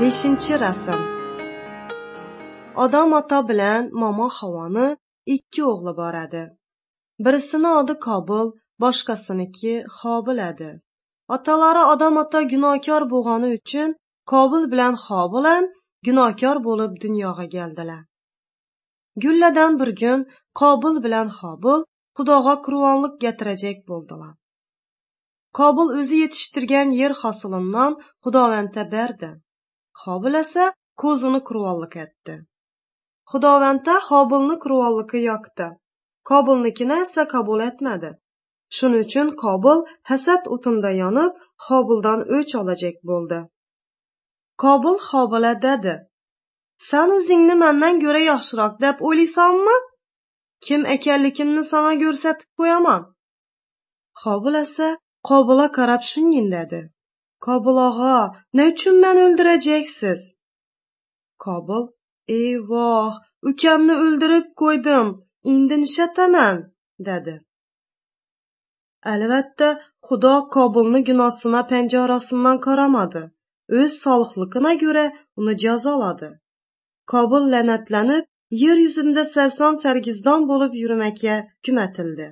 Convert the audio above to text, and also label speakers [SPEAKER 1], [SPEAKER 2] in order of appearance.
[SPEAKER 1] 5-rasm. Odam ota bilan momo Havoni 2 o'g'li bor edi. Birisini odi Qobil, boshqasiniki Hobil edi. Otalari Odam ota gunohkor bo'lgani uchun Qobil bilan Hobil ham gunohkor bo'lib dunyoga keldilar. Gulladan bir kun Qobil bilan Hobil Xudoga qurbonlik getirajak bo'ldilar. Qobil o'zi yetishtirgan yer hosilidan Xudovandga berdi. Hobil esa ko'zini qurbonlik etdi. Xudovandda Hobilni qurbonligi yoqdi. Qobilnikini esa qabul etmadi. Shuning uchun Qobil hasad o'tinda yonib, Hobildan o'ch olajak bo'ldi. Qobil Hobilga dedi: "Sen o'zingni mendan ko'ra yaxshiroq deb o'ylaysanmi? Kim ekanligimni sana ko'rsatib qo'yaman." Hobil esa Qobilga qarab shunday dedi: "Qobil og'a, ne uchun meni o'ldirajaksiz?" Qobil: "Eyvoh, ukamni o'ldirib qo'ydim, endi nishataman?" dedi. Albatta, Xudo Qobilni gunohsina panjarasidan qaramadi. O'z solihligina ko'ra uni jazoladi. Qobil la'natlanib, yer yuzida sarson sargizdon bo'lib yurmakka hukm etildi.